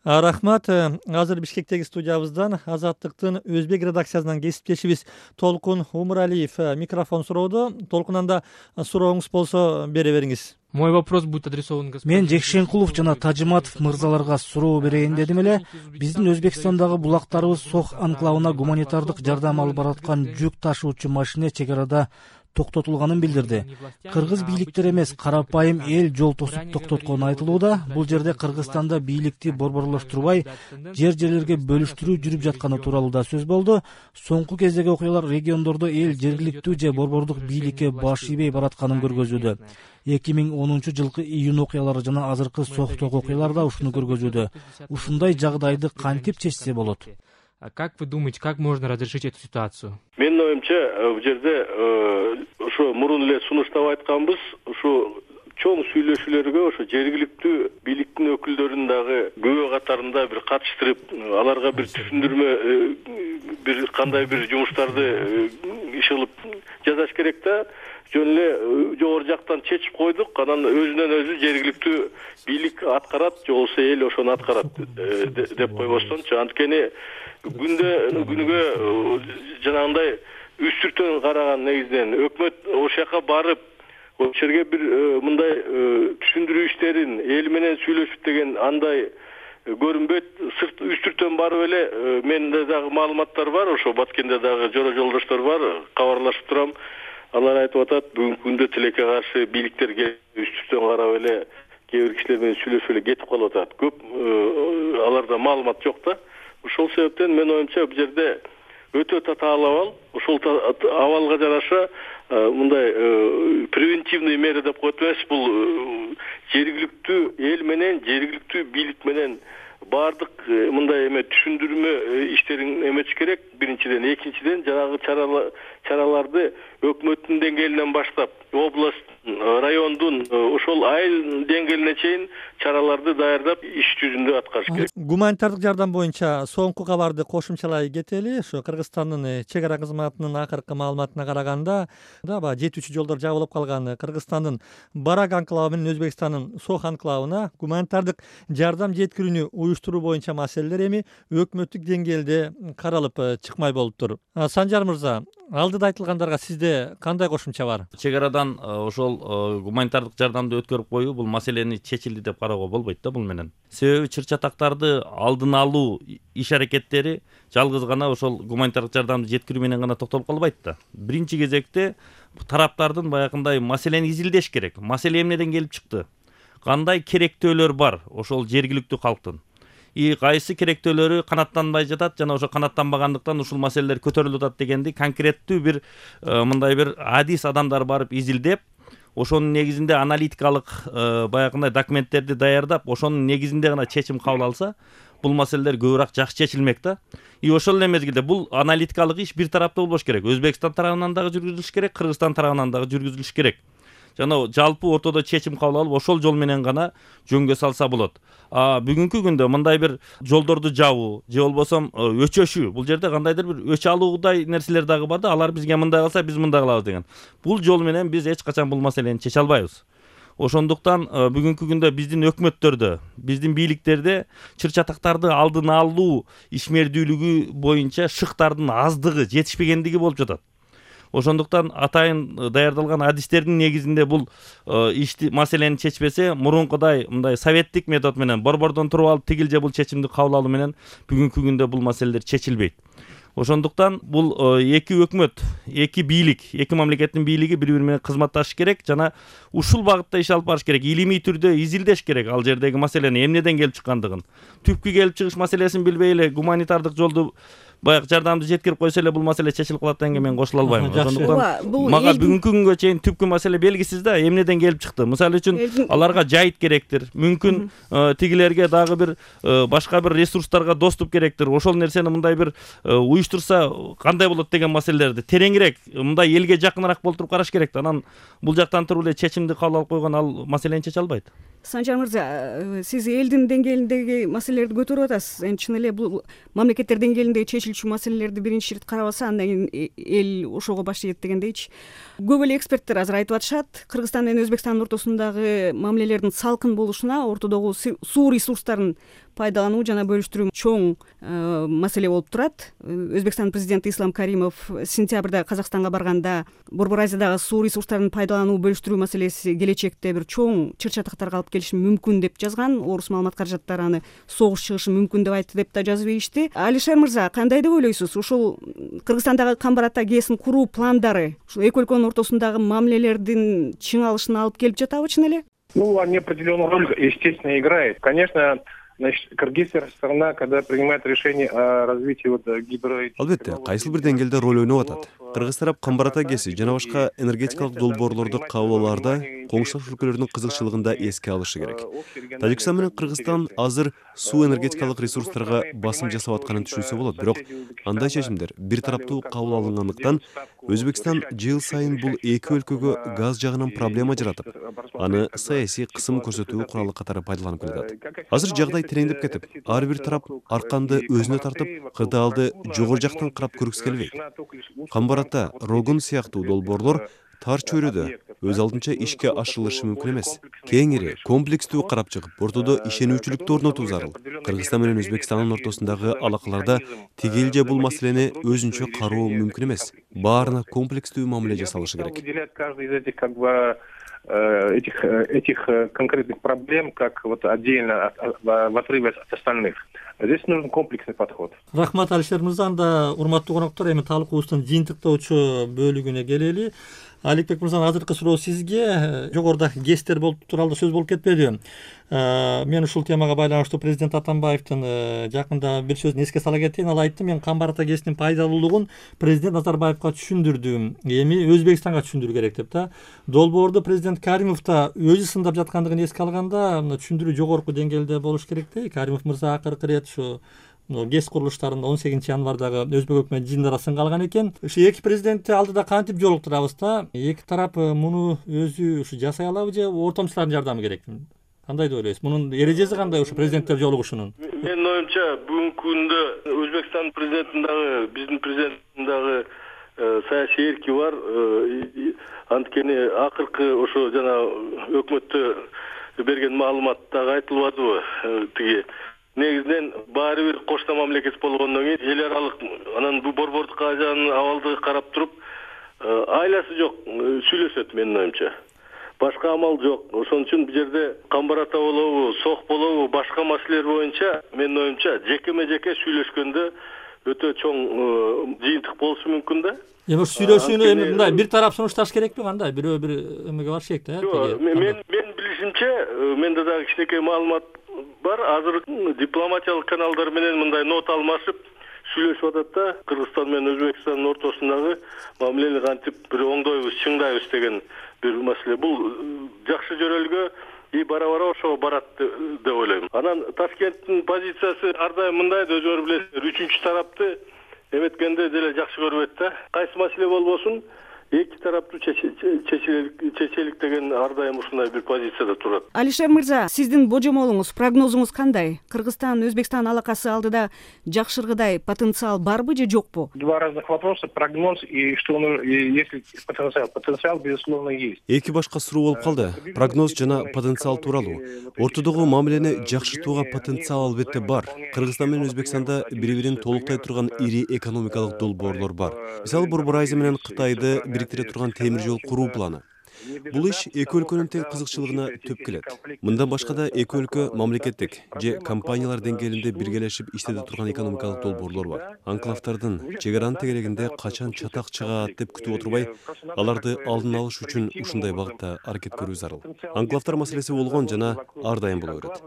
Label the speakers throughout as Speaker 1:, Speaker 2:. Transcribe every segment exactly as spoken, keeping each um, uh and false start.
Speaker 1: Рахмат. Азыр Бишкектеги студиябыздан Азаттыктын өзбек редакциясынан кесиптешибиз Толкун Умуралиев микрофон суроодо. Толкун, анда сурооңуз болсо бере бериңиз.
Speaker 2: Мой вопрос будет адресован господину.
Speaker 3: Мен Жекшенкулов жана Тажиматов мырзаларга суроо берейин дедим эле. Биздин Өзбекстандагы булактарыбыз Сох анклавына гуманитардык жардам алып бараткан жүк ташуучу машина чек арада токтотулганын билдирди. Кыргыз бийликтер эмес, карапайым эл жол тосуп токтоткону айтылууда. Бул жерде Кыргызстанда бийликти борборлоштурбай, жер-жерлерге бөлүштүрүү жүрүп жатканы тууралуу да сөз болду. Соңку кездеги окуялар региондордо эл жергиликтүү же борбордук бийликке баш ийбей баратканын көргөзүүдө. эки миң онунчу жылкы июнь окуялары жана азыркы Сохтогу окуялар да ушуну көргөзүүдө. Ушундай жагдайды кантип чечсе болот?
Speaker 2: А как вы думаете, как можно разрешить эту ситуацию?
Speaker 4: Менин оюмча, бул жерде ошо мурун эле сунуштап айтканбыз, ошо чоң сүйлөшүүлөргө ошо жергиликтүү бийликтин өкүлдөрүн дагы күбө катарында бир катыштырып, аларга бир түшүндүрмө, бир кандай бир жумуштарды иш кылып жасаш керек да. Жөн эле жогору жактан чечип койдук, анан өзүнөн өзү жергиликтүү бийлик аткарат, же болбосо эл ошону аткарат деп койбостончу. Анткени күндө күнүгө жанагындай үстүртөн караган негизинен өкмөт ошол жака барып, ошол жерге бир мындай түшүндүрүү иштерин эл менен сүйлөшүп деген андай көрүнбөйт. Сырт үстүртөн барып эле менде дагы маалыматтар бар, ошо Баткенде дагы жора жолдоштор бар, кабарлашып турам. Алар айтып атат, бүгүнкү күндө тилекке каршы бийликтер үстүртөн карап эле кээ бир кишилер менен сүйлөшүп эле кетип калып атат. Көп аларда маалымат жок да. Ошол себептен мен оюмча бул жерде өтө татаал абал, ошол абалга жараша мындай превентивный мера деп коет эмес, бул жергиликтүү эл менен, жергиликтүү бийлик менен бардык мындай эме түшүндүрмө иштерин эметиш керек. Биринчиден, экинчиден жанагы чараларды өкмөттүн деңгээлинен баштап, област, райондун, ошол айыл деңгээлине чейин чараларды даярдап, иш жүзүндө аткарыш керек.
Speaker 1: Гуманитардык жардам боюнча соңку кабарды кошумчалай кетели. Ошо Кыргызстандын чек ара кызматынын акыркы маалыматына караганда, да жетүүчү жолдор жабылып калган. Кыргызстандын Барак анклавы менен Өзбекстандын Сох анклавына гуманитардык жардам жеткирүүнү уюштуруу боюнча маселелер эми өкмөттүк деңгээлде каралып чыкмай болуптур. Санжар мырза, алдыда айтылгандарга сизде кандай кошумча бар?
Speaker 5: Чек арадан ошол гуманитардык жардамды өткөрүп коюу бул маселени чечилди деп кароого болбойт да бул менен. Себеби чыр-чатактарды алдын алуу иш аракеттери жалгыз гана ошол гуманитардык жардамды жеткирүү менен гана токтолуп калбайт да. Биринчи кезекте тараптардын баягындай маселени изилдеш керек. Маселе эмнеден келип чыкты? Кандай керектөөлөр бар ошол жергиликтүү калктын? И кайсы керектөөлөрү канаттанбай жатат жана ошо канаттанбагандыктан ушул маселелер көтөрүлүп атат дегенди конкреттүү бир мындай бир адис адамдар барып изилдеп, ошонун негизинде аналитикалык баягындай документтерди даярдап, ошонун негизинде гана чечим кабыл алса, бул маселелер көбүрөөк жакшы чечилмек да. И ошол эле мезгилде бул аналитикалык иш бир тараптуу болбош керек. Өзбекстан тарабынан дагы жүргүзүлүш керек, Кыргызстан тарабынан дагы жүргүзүлүш керек. Жана жалпы ортодо чечим кабыл алып, ошол жол менен гана жөнгө салса болот. А бүгүнкү күндө мындай бир жолдорду жабуу же болбосо өчөшүү, бул жерде кандайдыр бир өч алуудай нерселер дагы бар да, алар бизге мындай кылса биз мындай кылабыз деген. Бул жол менен биз эч качан бул маселени чече албайбыз. Ошондуктан бүгүнкү күндө биздин өкмөттөрдө, биздин бийликтерде чыр-чатактарды алдын алуу ишмердүүлүгү боюнча шыктардын аздыгы, жетишпегендиги болуп жатат. Ошондуктан атайын даярдалган адистердин негизинде бул ишти маселени чечпесе, мурункудай мындай советтик метод менен борбордон туруп алып тигил же бул чечимди кабыл алуу менен бүгүнкү күндө бул маселелер чечилбейт. Ошондуктан бул эки өкмөт, эки бийлик, эки мамлекеттин бийлиги бири-бири менен кызматташыш керек жана ушул багытта иш алып барыш керек. Илимий түрдө изилдеш керек ал жердеги маселени эмнеден келип чыккандыгын. Түпкү келип чыгыш маселесин билбей эле гуманитардык жолду баягы жардамды жеткирип койсо эле бул маселе чечилип калат дегенге мен кошула албайм. Ошондуктан мага бүгүнкү күнгө чейин түпкү маселе белгисиз да, эмнеден келип чыкты. Мисалы үчүн аларга жайыт керектир. Мүмкүн тигилерге дагы бир башка бир ресурстарга доступ керектир. Ошол нерсени мындай бир уюштурса кандай болот деген маселелерди тереңирээк, мындай элге жакыныраак болтуруп караш керек да. Анан бул жактан туруп эле чечимди кабыл алып койгон ал маселени чече албайт.
Speaker 6: Санжар мырза, сиз элдин деңгээлиндеги маселелерди көтөрүп атасыз. Эми чын эле бул мамлекеттер деңгээлинде чечилчү маселелерди биринчи ирет карабаса, андан кийин эл ошого баш ийет дегендейчи. Көп эле эксперттер азыр айтып атышат, Кыргызстан менен Өзбекстандын ортосундагы мамилелердин салкын болушуна, ортодогу суу ресурстарын пайдалануу жана бөлүштүрүү чоң маселе болуп турат. Өзбекстандын президенти Ислам Каримов сентябрда Казакстанга барганда Борбор Азиядагы суу ресурстарын пайдалануу бөлүштүрүү маселеси келечекте бир чоң чыр-чатактарга алып келиши мүмкүн деп жазган. Орус маалымат каражаттары аны согуш чыгышы мүмкүн деп айтты деп да жазып ийишти. Алишер мырза, кандай деп ойлойсуз? Ушул Кыргызстандагы Камбар-Ата ГЭСин куруу пландары ушул эки өлкөнүн ортосундагы мамилелердин чыңалышына алып келип жатабы чын эле?
Speaker 7: Ну, они определенную роль, естественно, играют. Конечно, значит, кыргызская сторона, когда принимает решение о развитии вот гидро...
Speaker 8: Албетте, кайсыл бир деңгээлде роль ойноп атат. Кыргыз тарап Камбар-Ата ГЭСи жана башка энергетикалык долбоорлорду кабыл алаарда коңшулаш өлкөлөрдүн кызыкчылыгын да эске алышы керек. Тажикстан менен Кыргызстан азыр суу энергетикалык ресурстарга басым жасап атканын түшүнсө болот, бирок андай чечимдер бир тараптуу кабыл алынгандыктан Өзбекстан жыл сайын бул эки өлкөгө газ жагынан проблема жаратып, аны саясий кысым көрсөтүү куралы катары пайдаланып келатат. Азыр жагдай тереңдеп кетип, ар бир тарап арканды өзүнө тартып, кырдаалды жогору жактан карап көргүсү келбейт. Камбар-Ата, Рогун сыяктуу долбоорлор тар чөйрөдө өз алдынча ишке ашырылышы мүмкүн эмес. Кеңири, комплекстүү карап чыгып, ортодо ишенүүчүлүктү орнотуу зарыл. Кыргызстан менен Өзбекстандын ортосундагы алакаларда тигелже бул маселени өзүнчө кароо мүмкүн эмес. Баарына комплекстүү мамиле жасалышы керек.
Speaker 7: этих этих конкретных проблем как вот отдельно в отрыве от остальных. Здесь нужен комплексный подход.
Speaker 1: Рахмат, Алишер мырза. Анда урматтуу коноктор, эми талкуубуздун жыйынтыктоочу бөлүгүнө келели. Аликбек мырза, азыркы суроо сизге. Жогоруда ГЭСтер болуп тууралуу сөз болуп кетпеди. Мен ушул темага байланыштуу президент Атамбаевдин жакында бир сөзүн эске сала кетейин. Ал айтты, мен Камбар-Ата ГЭСинин пайдалуулугун президент Назарбаевга түшүндүрдүм, эми Өзбекстанга түшүндүрүү керек деп да. Долбоорду президент Каримов да өзү сындап жаткандыгын эске алганда, түшүндүрүү жогорку деңгээлде болуш керек да. Каримов мырза акыркы ирет ушу ГЭС курулуштарында он сегизинчи январдагы Өзбек өкмөт жыйынында сынга алган экен. Ушу эки президентти алдыда кантип жолуктурабыз да? Эки тарап муну өзү ушу жасай алабы же ортомчулардын жардамы керекми? Кандай деп ойлойсуз? Мунун эрежеси кандай ушу президенттер жолугушунун?
Speaker 4: Менин оюмча, бүгүнкү күндө Өзбекстан президентин дагы, биздин президенттин дагы саясий эрки бар. Анткени акыркы ошо жана өкмөттө берген маалыматтагы айтылбадыбы? Тиги негизинен баары бир кошто мамлекет болгондон кийин эл аралык анан бул борбордук Азиянын абалдыгы карап туруп айласы жок сүйлөшөт менин оюмча. Башка амал жок. Ошон үчүн бул жерде Камбар-Ата болобу, Сох болобу, башка маселелер боюнча менин оюмча жекеме-жеке сүйлөшкөндө өтө чоң жыйынтык болушу мүмкүн да.
Speaker 1: Эми сүйлөшүүнү эми мындай бир тарап сунушташ керекпи, кандай? Бирөө бир эмеге барыш керек да.
Speaker 4: Мен мен билишимче, менде дагы кичинекей маалымат бар. Азыр дипломатиялык каналдар менен мындай нот алмашып сүйлөшүп атат да. Кыргызстан менен Өзбекстандын ортосундагы мамилени кантип бир оңдойбуз, чыңдайбыз деген бир маселе. Бул жакшы жөрөлгө и бара-бара ошого барат деп ойлойм. Анан Ташкенттин позициясы ар дайым мындай, өзүңөр билесиздер, үчүнчү тарапты эметкенде деле жакшы көрбөйт да. Кайсы маселе болбосун, эки тараптуу чечелик деген ар дайым ушундай бир позицияда турат.
Speaker 6: Алишер мырза, сиздин божомолуңуз, прогнозуңуз кандай? Кыргызстан, Өзбекстан алакасы алдыда жакшыргыдай потенциал барбы же жокпу?
Speaker 7: Два разных вопроса: прогноз и что он, если потенциал. Потенциал, безусловно, есть.
Speaker 8: Эки башка суроо болуп калды. Прогноз жана потенциал тууралуу. Ортодогу мамилени жакшыртууга потенциал албетте бар. Кыргызстан менен Өзбекстанда бири-бирин толуктай турган ири экономикалык долбоорлор бар. Мисалы, Борбор Азия менен Кытайды бириктире турган темир жол куруу планы. Бул иш эки өлкөнүн тең кызыкчылыгына төп келет. Мындан башка да эки өлкө мамлекеттик же компаниялар деңгээлинде биргелешип иштете турган экономикалык долбоорлор бар. Анклавдардын чек аранын тегерегинде качан чатак чыгат деп күтүп отурбай, аларды алдын алыш үчүн ушундай багытта аракет көрүү зарыл. Анклавдар маселеси болгон жана ар дайым боло берет.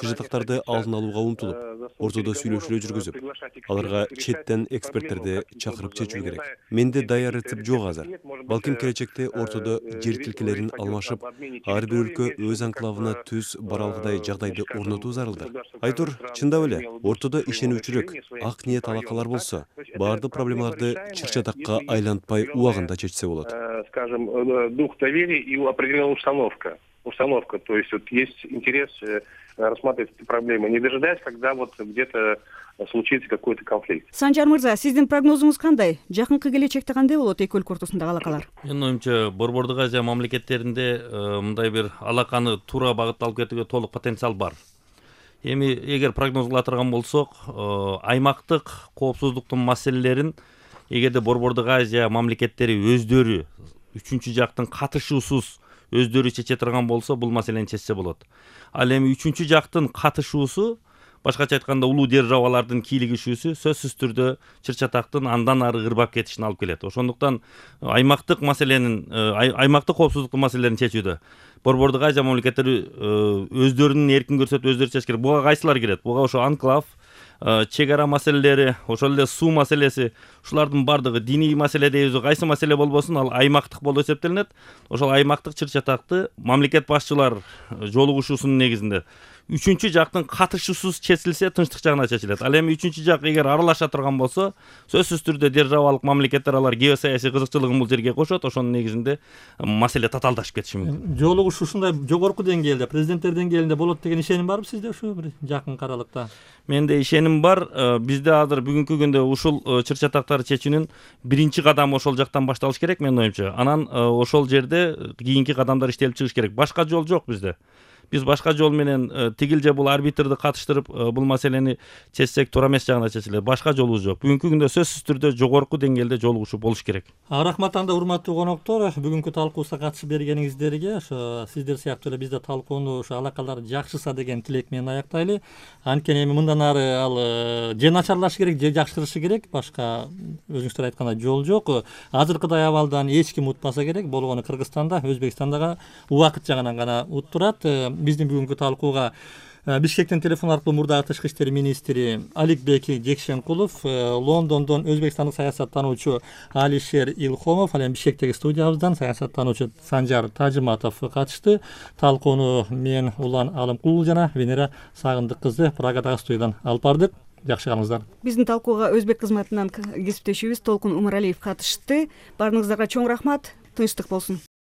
Speaker 8: Чыжытактарды алдын алууга умтулуп, ортодо сүйлөшүүлөр жүргүзүп, аларга четтен эксперттерди чакырып чечүү керек. Менде даяр рецепт жок азыр. Балким келечекте ортодо жер тилкелерин алмашып, ар бир өлкө өз анклавына түз баралгыдай жагдайды орнотуу зарылдыр. Айтор, чындап эле, ортодо ишенүүчүлүк, ак ниет алакалар болсо, баардык проблемаларды чыр-чатакка айлантпай убагында чечсе болот.
Speaker 7: Скажем, дух доверия и определенная установка. Установка, то есть вот есть интерес рассматривать эти проблемы, не дожидаясь, когда вот где-то случится какой-то конфликт.
Speaker 6: Санжар мырза, сиздин прогнозуңуз кандай? Жакынкы келечекте кандай болот эки өлкө ортосундагы алакалар?
Speaker 5: Менин оюмча, Борбордук Азия мамлекеттеринде мындай бир алаканы туура багытта алып кетүүгө толук потенциал бар. эми эгер прогноз кыла турган болсок, аймактык коопсуздуктун маселелерин эгерде Борбордук Азия мамлекеттери өздөрү үчүнчү жактын катышуусуз өздөрү чече турган болсо, бул маселени чечсе болот. Ал эми үчүнчү жактын катышуусу, башкача айтканда улуу державалардын кийлигишүүсү сөзсүз түрдө чыр-чатактын андан ары ырбап кетишине алып келет. Ошондуктан аймактык маселенин, аймактык коопсуздуктун маселелерин чечүүдө Борбордук Азия мамлекеттери өздөрүнүн эркин көрсөтүп өздөрү чечиш керек. Буга кайсылар кирет? Буга ошо анклав, чек ара маселелери, ошол эле суу маселеси, ушулардын бардыгы диний маселе дейбиз, кайсы маселе болбосун, ал аймактык болуп эсептелинет. Ошол аймактык чыр-чатакты мамлекет башчылар жолугушуусунун негизинде үчүнчү жактын катышуусуз чечилсе, тынчтык жагына чечилет. Ал эми үчүнчү жак эгер аралаша турган болсо, сөзсүз түрдө державалык мамлекеттер алар геосаясий кызыкчылыгын бул жерге кошот, ошонун негизинде маселе татаалдашып кетиши мүмкүн.
Speaker 1: Жолугушуу ушундай жогорку деңгээлде, президенттер деңгээлинде болот деген ишеним барбы сизде ушу бир жакын аралыкта?
Speaker 5: Менде ишеним бар. Бизде азыр бүгүнкү күндө ушул чыр-чатактарды чечүүнүн биринчи кадамы ошол жактан башталыш керек, менин оюмча. Анан ошол жерде кийинки кадамдар иштелип чыгыш керек. Башка жол жок бизде. Биз башка жол менен тигил же бул арбитрди катыштырып бул маселени чечсек туура эмес жагына чечилет. Башка жолубуз жок. Бүгүнкү күндө сөзсүз түрдө жогорку деңгээлде жолугушуу болуш керек.
Speaker 1: Рахмат анда, урматтуу коноктор, бүгүнкү талкуубузга катышып бергениңиздерге, ошо сиздер сыяктуу эле бизде талкууну ошо алакалар жакшыса деген тилек менен аяктайлы. Анткени эми мындан ары ал же начарлашы керек, же жакшырышы керек. Башка өзүңүздөр айткандай жол жок. Азыркыдай абалдан эч ким утпаса керек. Болгону Кыргызстанда, Өзбекстанда убакыт жагынан гана уттурат. Биздин бүгүнкү талкууга Бишкектен телефон аркылуу мурдагы тышкы иштер министри Аликбек Жекшенкулов, Лондондон өзбекстандык саясаттануучу Алишер Илхомов, ал эми Бишкектеги студиябыздан саясаттануучу Санжар Тажыматов катышты. Талкууну мен Улан Алымкулов жана Венера Сагындык кызы Прагадагы студиядан алып бардык. Жакшы калыңыздар.
Speaker 6: Биздин талкууга өзбек кызматынан кесиптешибиз Толкун Умаралиев катышты. Баарыңыздарга чоң рахмат. Тынчтык болсун.